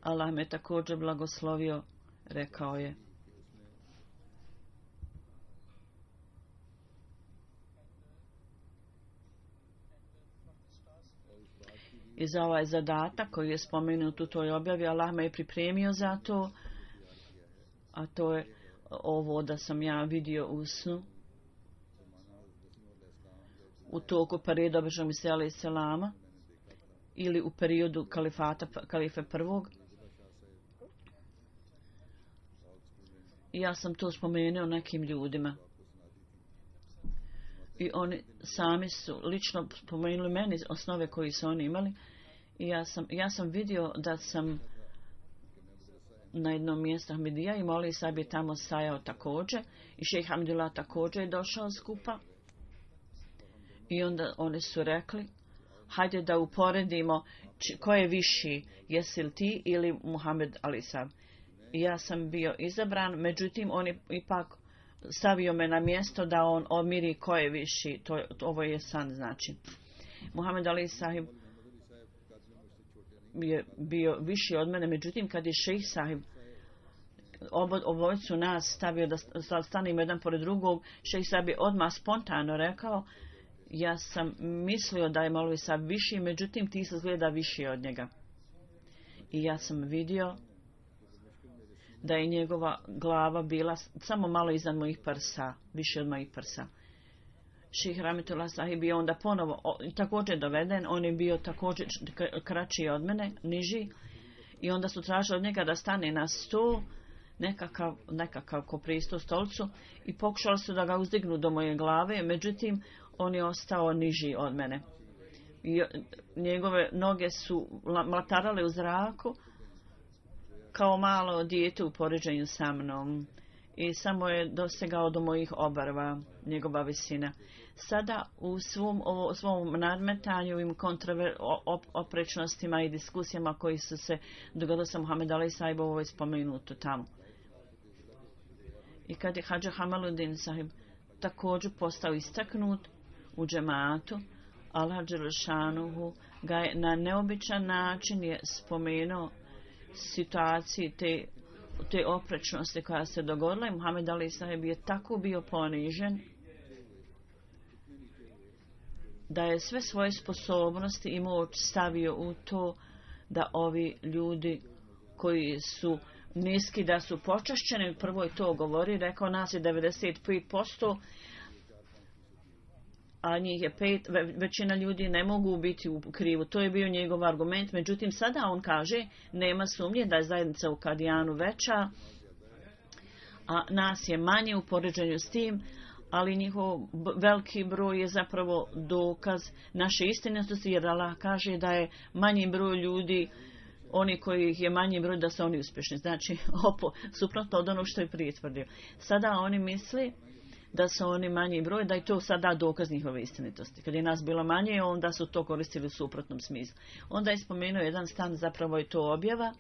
Allah me također blagoslovio, rekao je. I za ovaj zadatak koji je spomenut u toj objavi, Allah me je pripremio za to, a to je ovo da sam ja vidio u snu u toku perioda obećanog Mesija alejselama ili u periodu kalife prvog. I ja sam to spomenuo nekim ljudima. I oni sami su lično spomenuli meni osnove koji su oni imali. I ja sam vidio da sam na jednom mjestu Ahmedija i Moli Sahib je tamo stajao također. I šejh Hamdullah također je došao skupa. I onda oni su rekli, hajde da uporedimo ko je viši, jesi li ti ili Muhammed Ali Sahib. I ja sam bio izabran, međutim on je ipak stavio me na mjesto da on omiri ko je viši. Ovo je san znači. Muhammed Ali Sahib je bio viši od mene, međutim kad je šejh Sahib obojicu nas stavio da stanemo jedan pored drugog, šejh Sahib je odmah spontano rekao, ja sam mislio da je Maulvi Sahib viši, međutim ti se izgleda viši od njega. I ja sam vidio da je njegova glava bila samo malo iznad mojih prsa, više od mojih prsa. Šejh Rahmetullah Sahib je onda ponovo također doveden, on je bio također kraći od mene, niži, i onda su tražili od njega da stane na stol, nekakav ko pristo stolcu, i pokušali su da ga uzdignu do moje glave, međutim on je ostao niži od mene. I njegove noge su mlatarale u zraku kao malo dijete u poređenju sa mnom i samo je dosegao do mojih obrva njegova visina. Sada u svom nadmetanju i oprečnostima i diskusijama koji su se dogodili sa Muhammed Ali Sahib, ovo je spomenuto tamo. I kad je Hadža Hamaluddin Sahib također postao istaknut, u džematu, Allah dželešanuhu ga je na neobičan način je spomenuo situaciji te oprečnosti koja se dogodila i Muhammed alejhi sahib je tako bio ponižen da je sve svoje sposobnosti i moć stavio u to da ovi ljudi koji su niski da su počašćeni, prvo je to govori, rekao nas je 95%, a njih je 5, većina ljudi ne mogu biti u krivu. To je bio njegov argument. Međutim, sada on kaže, nema sumnje da je zajednica u Kadijanu veća, a nas je manje u poređenju s tim, ali njihov veliki broj je zapravo dokaz naše istinitosti, jer Allah kaže da je manji broj ljudi, oni koji je manji broj, da su oni uspješni. Znači, suprotno od onog što je prije tvrdio. Sada oni misli da su oni manji broj, da je to sada dokaz njihove istinitosti. Kad je nas bilo manje, onda su to koristili u suprotnom smislu. Onda je spomenuo jedan stan, zapravo je to objava.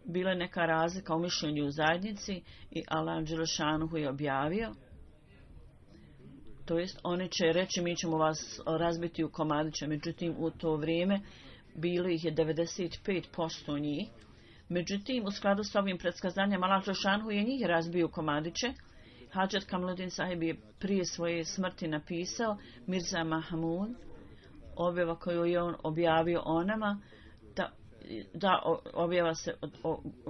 Bila je neka razlika u mišljenju u zajednici i Allah dželešanuhu je objavio. To jest, oni će reći, mi ćemo vas razbiti u komadiće. Međutim, u to vrijeme bilo ih je 95% njih. Međutim, u skladu s ovim predskazanjem, Allah dželešanuhu je njih razbio u komadiće. Hadžat Kamaluddin sahib je prije svoje smrti napisao Mirza Mahmud, objava koju je on objavio o nama, da objava se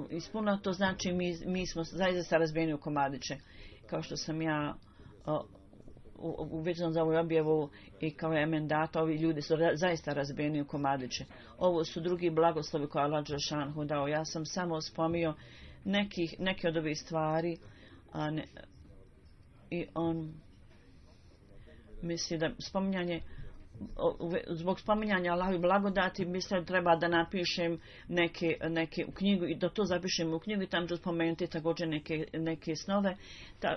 ispunila, to znači mi smo zaista razbijeni u komadiće. Kao što sam ja uvečan za ovu objavu i kao emendata, ovi ljudi su zaista razbijeni u komadiće. Ovo su drugi blagoslovi koje Allah dželešanuhu dao. Ja sam samo spomnio neke od ovih stvari, i on misli da zbog spominjanja Allahovi blagodati mislim da treba da napišem neke u knjigu i da to zapišem u knjigu i tamo ću spomenuti također neke snove,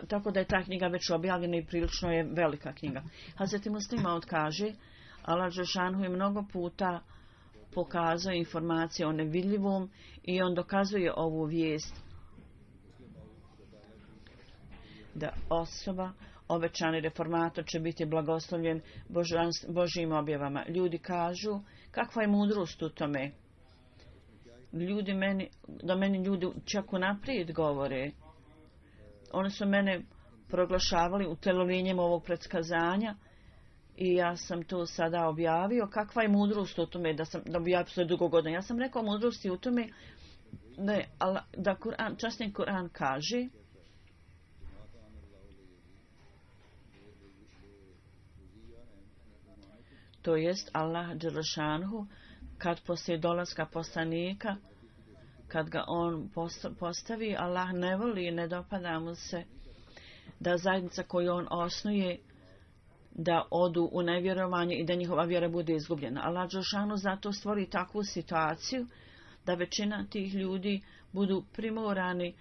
tako da je ta knjiga već objavljena i prilično je velika knjiga. Hazreti Muslima odkaže, Allah dželešanuhu je mnogo puta pokazao informacije o nevidljivom i on dokazuje ovu vijest da osoba obećani reformator će biti blagoslovljen Božjim objavama. Ljudi kažu, kakva je mudrost u tome? Meni ljudi čak unaprijed govore. Oni su mene proglašavali utelovljenjem ovog predskazanja i ja sam to sada objavio. Kakva je mudrost u tome da bi ja sve dugo godina? Ja sam rekao mudrosti u tome da časni Kur'an kaže to jest Allah dželešanuhu kad poslije dolaska poslanika, kad ga on postavi, Allah ne voli i ne dopada mu se da zajednica koju on osnuje da odu u nevjerovanje i da njihova vjera bude izgubljena. Allah dželešanuhu zato stvori takvu situaciju da većina tih ljudi budu primorani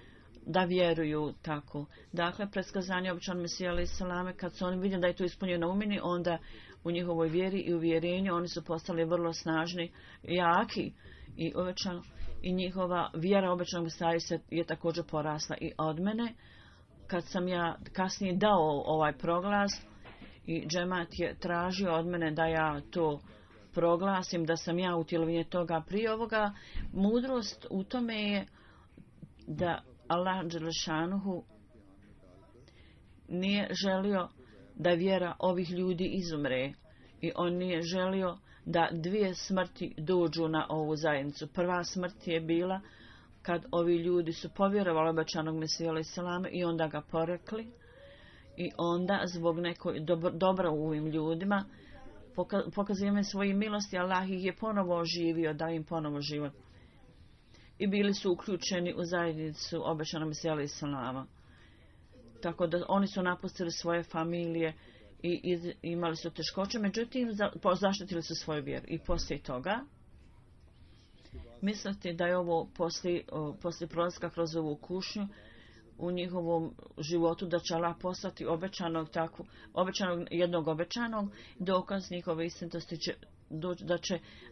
da vjeruju tako. Dakle, predskazanje običan Mesija alejhi selame, kad su oni vidjeli da je to ispunjeno umini, onda u njihovoj vjeri i uvjerenju oni su postali vrlo snažni, jaki i njihova vjera običnog Mesija je također porasla i od mene. Kad sam ja kasnije dao ovaj proglas i džemat je tražio od mene da ja to proglasim, da sam ja utjelovljenje toga prije ovoga, mudrost u tome je da Allah dželešanuhu nije želio da vjera ovih ljudi izumre i on nije želio da dvije smrti dođu na ovu zajednicu. Prva smrt je bila kad ovi ljudi su povjerovali obećanog Mesiju alejhi selame i onda ga porekli i onda zbog nekog dobra u ovim ljudima pokazivanje svoje milosti, Allah ih je ponovo oživio, dao im ponovo život. I bili su uključeni u zajednicu obećanog Mesija alejhi selama. Tako da oni su napustili svoje familije i imali su teškoće, međutim zaštitili su svoju vjeru. I poslije toga mislite da je ovo poslije prolaska kroz ovu kušnju u njihovom životu da će Allah poslati jednog obećanog, dokaz njihove istinitosti će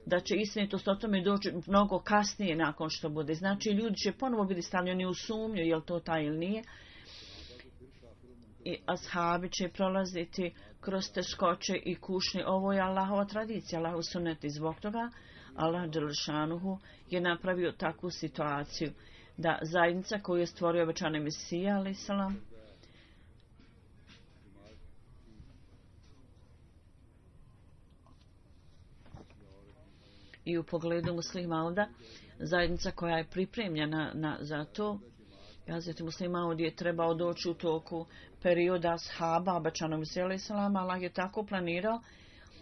da će istinitost o tome doći mnogo kasnije nakon što bude. Znači ljudi će ponovo biti stavljeni u sumnju, je li to taj ili nije. i ashabi će prolaziti kroz teškoće i kušnje. Ovo je Allahova tradicija, Allahov sunnet i zbog toga Allah dželešanuhu je napravio takvu situaciju da zajednica koju je stvorio obećani Mesija alejhi selam i u pogledu muslimana, zajednica koja je pripremljena za to. Hazreti Muslih Maud je trebao doći u toku perioda ashaba obećanog Mesija alejhi selam. Allah je tako planirao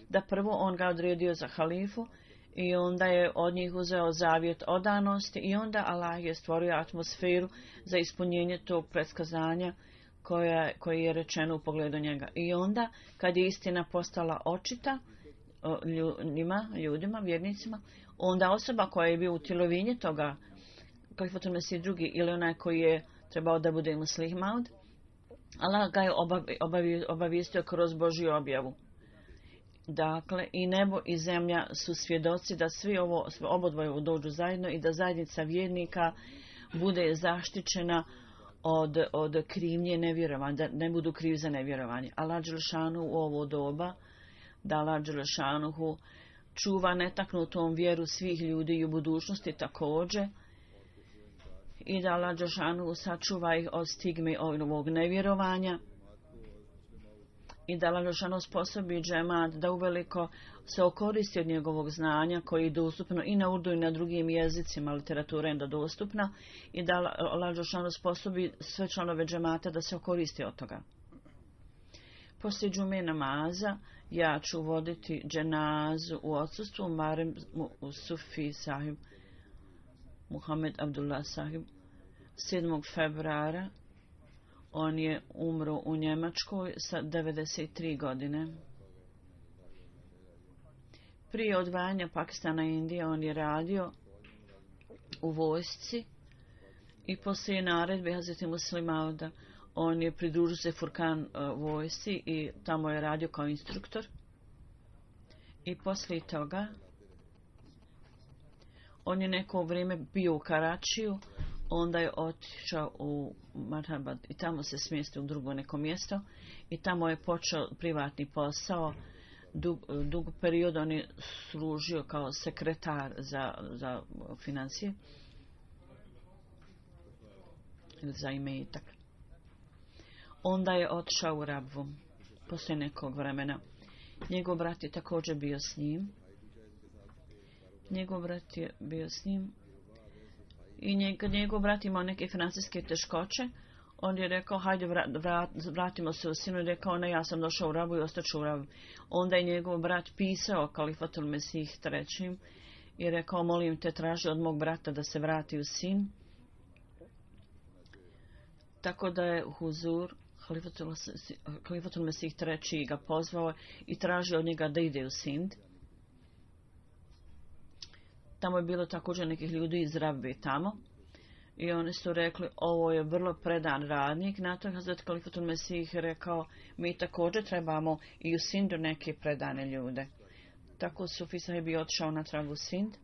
da prvo on ga odredio za halifu i onda je od njih uzeo zavjet odanosti i onda Allah je stvorio atmosferu za ispunjenje tog predskazanja koje je rečeno u pogledu njega. I onda kad je istina postala očita ljudima, vjernicima, onda osoba koja je bio utjelovinje toga Kalifatul Mesih drugi ili onaj koji je trebao da bude Muslih Maud, Allah ga je obavijestio kroz Božju objavu. Dakle, i nebo i zemlja su svjedoci da svi obodvoje dođu zajedno i da zajednica vjernika bude zaštićena od krivnje nevjerovanja, da ne budu krivi za nevjerovanje. Allah dželešanu u ovo doba, da Allah dželešanuhu čuva netaknutom vjeru svih ljudi i u budućnosti također, i da Allah dželešanuhu sačuva ih od stigme ovog nevjerovanja i da Allah dželešanuhu sposobi džemat da uveliko se okoristi od njegovog znanja koji je dostupno i na urdu i na drugim jezicima, literatura je dostupna, i da Allah dželešanuhu sposobi sve članove džemata da se okoristi od toga. Poslije džume namaza ja ću voditi dženazu u odsustvu Marem Sufi sahib Muhammed Abdullah sahib 7. februara. On je umro u Njemačkoj sa 93 godine. Prije odvajanja Pakistana i Indije on je radio u vojsci i poslije naredbe Hazreti Muslih Mauda on je pridružio se Furkan vojsci i tamo je radio kao instruktor. I poslije toga on je neko vrijeme bio u Karačiju, onda je otišao u Marhabad i tamo se smjestio u drugo neko mjesto i tamo je počeo privatni posao. Dug period on je služio kao sekretar za financije ili za imetak. Onda je otišao u Rabvu poslije nekog vremena. Njegov brat je također bio s njim. I njegov brat imao neke financijske teškoće. On je rekao, hajde vratimo se u Sinu. I rekao, ne, ja sam došao u Rabu i ostaću u Rabu. Onda je njegov brat pisao Kalifatul Mesih III. I rekao, molim te, traži od mog brata da se vrati u Sin. Tako da je Huzur Kalifatul Mesih III. Ga pozvao i tražio od njega da ide u Sind. Tamo je bilo također nekih ljudi iz Rabbe tamo. I oni su rekli, ovo je vrlo predan radnik. Na to je Hazret Kalifatul Mesih rekao, mi također trebamo i u Sindu neke predane ljude. Tako Sufi sahib je otišao natrag u Sind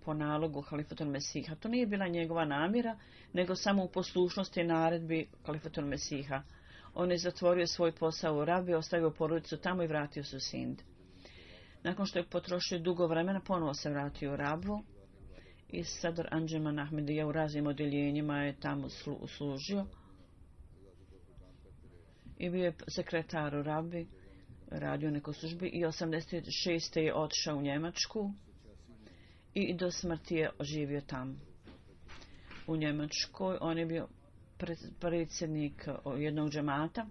po nalogu Kalifatul Mesiha. To nije bila njegova namjera, nego samo u poslušnosti naredbi Kalifatul Mesiha. On je zatvorio svoj posao u Rabi, ostavio porodicu tamo i vratio se u Sind. Nakon što je potrošio dugo vremena, ponovo se vratio u Rabu i Sadr Anđeman Ahmedija u raznim odjeljenjima je tamo služio i bio je sekretar u Rabi, radio neko službi i 86. je otišao u Njemačku i do smrti je živio tamo. U Njemačkoj on je bio predsjednik jednog džemata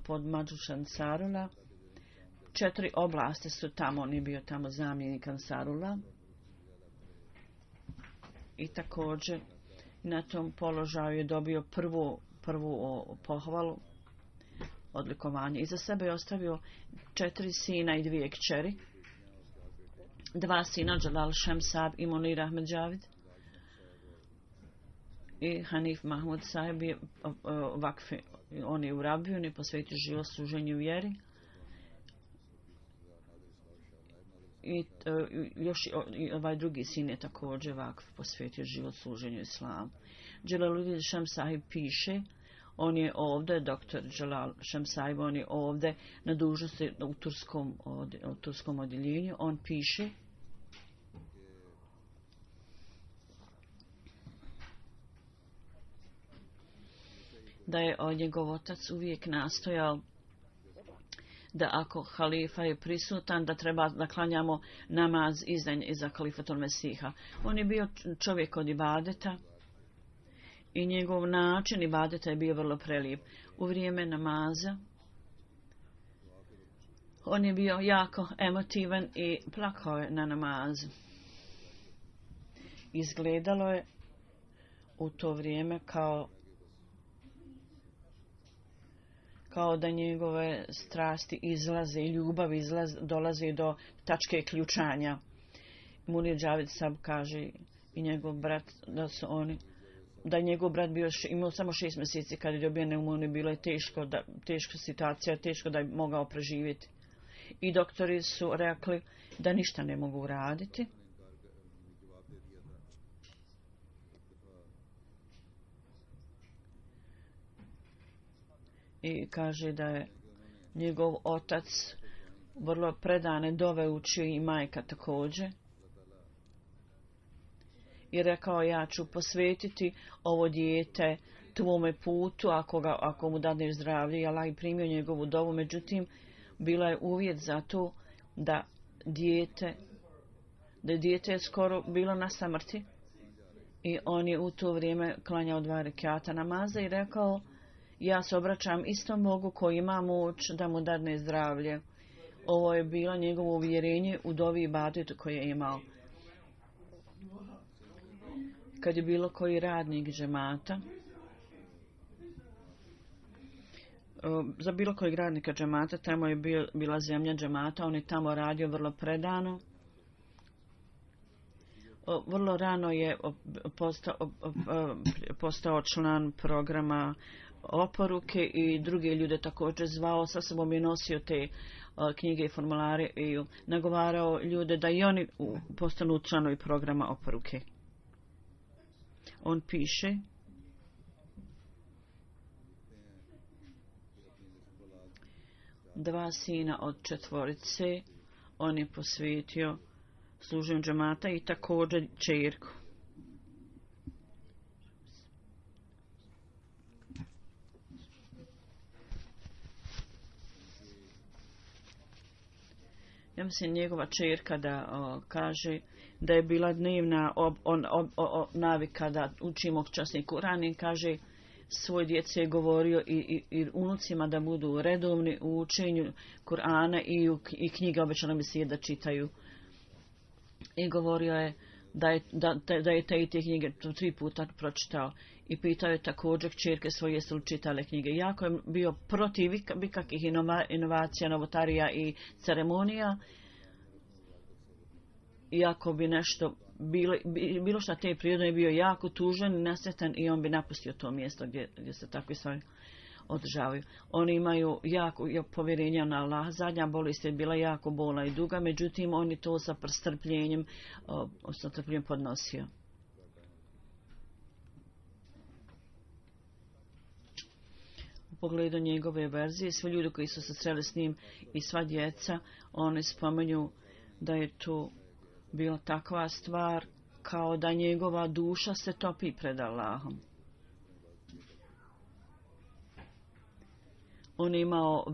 pod Madžuš Ansarula. 4 oblasti su tamo, on je bio tamo zamjenik Ansarula. I također na tom položaju je dobio prvu pohvalu, odlikovanje. Iza sebe je ostavio 4 sina i 2 kćeri. 2 sina, Jalal Šemsab i Munir Ahmed Javid. I Hanif Mahmud sahib je vakfi, on je u Rabiju, on je posvetio život služenju vjeri. I još ovaj drugi sin je također vakf posvetio život služenju islamu. Jalaluddin Sham sahib piše, On je ovdje, dr. Jalal Shamsaib, on je ovdje na dužnosti u turskom odjeljenju. On piše da je njegov otac uvijek nastojao da ako halifa je prisutan, da treba da klanjamo namaz iza Halifatul Mesiha. On je bio čovjek od ibadeta i njegov način ibadeta je bio vrlo prelijep. U vrijeme namaza on je bio jako emotivan i plakao je na namazu. Izgledalo je u to vrijeme kao da njegove strasti izlaze i ljubav dolazi do tačke ključanja. Munir Džavid Sab kaže i njegov brat da je njegov brat imao samo 6 mjeseci kad je dobio pneumoniju, bilo je teška situacija, teško da je mogao preživjeti. I doktori su rekli da ništa ne mogu uraditi. I kaže da je njegov otac vrlo predane dove učio i majka također. I rekao, ja ću posvetiti ovo dijete tvome putu ako mu dadneš zdravlje. I Allah je primio njegovu dovu, međutim bila je uvjet za to da dijete je skoro bilo na samrti. I on je u to vrijeme klanjao 2 rekata namaza i rekao, ja se obraćam istom Bogu koji ima moć da mu dadne zdravlje. Ovo je bilo njegovo uvjerenje u dovi ibadetu koje je imao. Kad je bilo koji radnik džemata, za bilo kojeg radnika džemata, tamo je bila zemlja džemata, on je tamo radio vrlo predano. Vrlo rano je postao član programa oporuke i druge ljude također zvao. Sa sobom je nosio te knjige i formulare i nagovarao ljude da i oni postanu članovi programa oporuke. On piše dva sina od 4 on je posvetio služenju džemata i također ćerku. Ja mislim njegova ćerka da kaže da je bila dnevna navika da učimo časni Kur'an i kaže svoj djece je govorio i unucima da budu redovni u učenju Kur'ana i knjiga obećala mi se da čitaju. I govorio je da je te knjige 3 puta pročitao. I pitao je također kćerke svoje jesu li čitale knjige. Jako je bio protiv ikakvih inovacija, novotarija i ceremonija. Iako bi nešto bilo što te prirode je bio jako tužan i nesretan i on bi napustio to mjesto gdje se takvi stvari održavaju. Oni imaju jako povjerenja na Allah. Zadnja bolest je bila jako bolna i duga, međutim on je to sa strpljenjem podnosio. U pogledu njegove verzije, svi ljudi koji su se sreli s njim i sva djeca, oni spomenju da je to bila takva stvar kao da njegova duša se topi pred Allahom. On je imao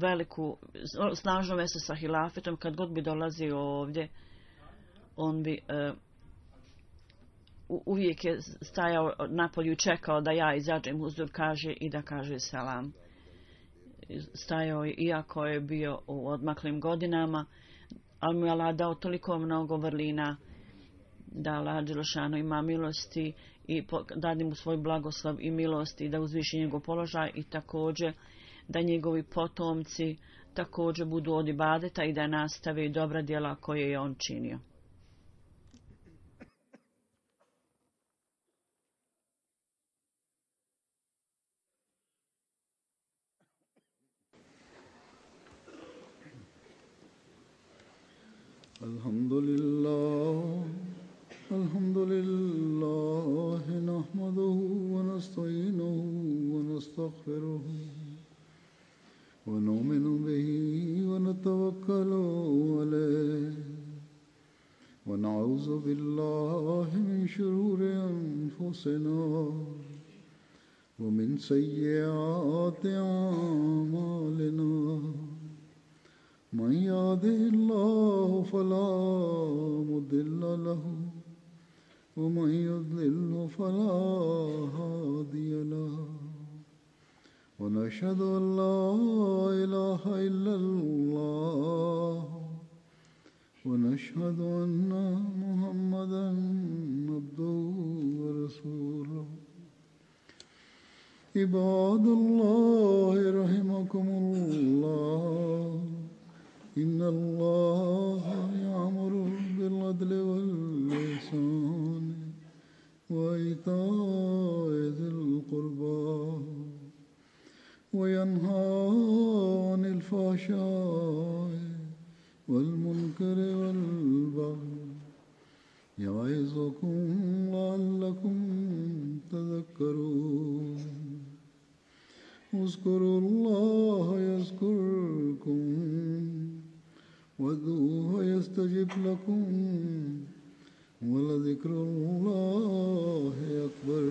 snažnu vezu sa hilafetom. Kad god bi dolazio ovdje, on bi uvijek je stajao napolju i čekao da ja izađem huzur kaže i da kaže selam. Stajao je, iako je bio u odmaklim godinama, ali mu je Allah dao toliko mnogo vrlina da Allah dželešanu ima milosti i dadi mu svoj blagoslov i milosti da uzviši njegov položaj i također da njegovi potomci također budu od ibadeta i da nastave dobra djela koje je on činio. Alhamdulillah nahmaduhu wa nasta'inuhu wa nastaghfiruh نؤمن به ونتوكل عليه ونعوذ بالله من شرور أنفسنا ومن سيئات أعمالنا من يهده الله فلا مضل له ومن يضلل فلا هادي له ونشهد أن لا إله إلا الله ونشهد أن محمدا عبده ورسوله عباد الله رحمكم الله إن الله يأمر بالعدل والإحسان وإيتاء ذي القربى وينهى عن الفحشاء والمنكر والبغي يعظكم لعلكم تذكرون اذكروا الله يذكركم وادعوه يستجب لكم ولذكر الله أكبر.